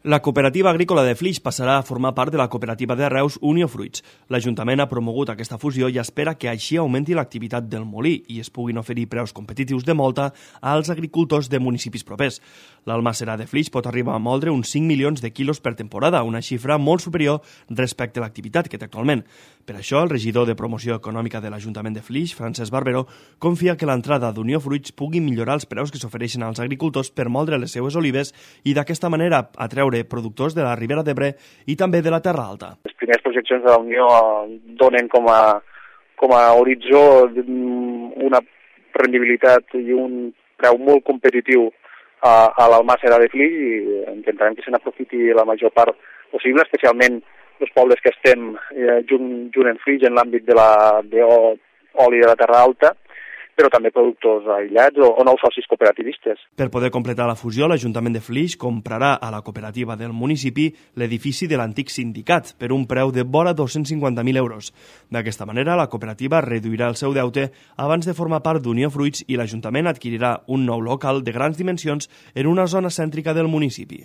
La cooperativa agrícola de Flix passarà a formar part de la cooperativa de Reus Unió Fruits. L'Ajuntament ha promogut aquesta fusió i espera que així augmenti l'activitat del molí i es puguin oferir preus competitius de molta als agricultors de municipis propers. L'almacera de Flix pot arribar a moldre uns 5 milions de quilos per temporada, una xifra molt superior respecte a l'activitat que té actualment. Per això, el regidor de Promoció Econòmica de l'Ajuntament de Flix, Francesc Barberó, confia que l'entrada d'Unió Fruits pugui millorar els preus que s'ofereixen als agricultors per moldre les seues olives i d'aquesta manera atreure productors de la Ribera d'Ebre i també de la Terra Alta. Les primeres projeccions de la Unió donen com a horitzó una rendibilitat i un preu molt competitiu a l'almàssera de Flix i intentarem que se n'aprofiti la major part possible, especialment els pobles que estem junt en Flix en l'àmbit de l'oli de la Terra Alta, però també productors aïllats o nous socis cooperativistes. Per poder completar la fusió, l'Ajuntament de Flix comprarà a la cooperativa del municipi l'edifici de l'antic sindicat per un preu de vora 250.000 euros. D'aquesta manera, la cooperativa reduirà el seu deute abans de formar part d'Unió Fruits i l'Ajuntament adquirirà un nou local de grans dimensions en una zona cèntrica del municipi.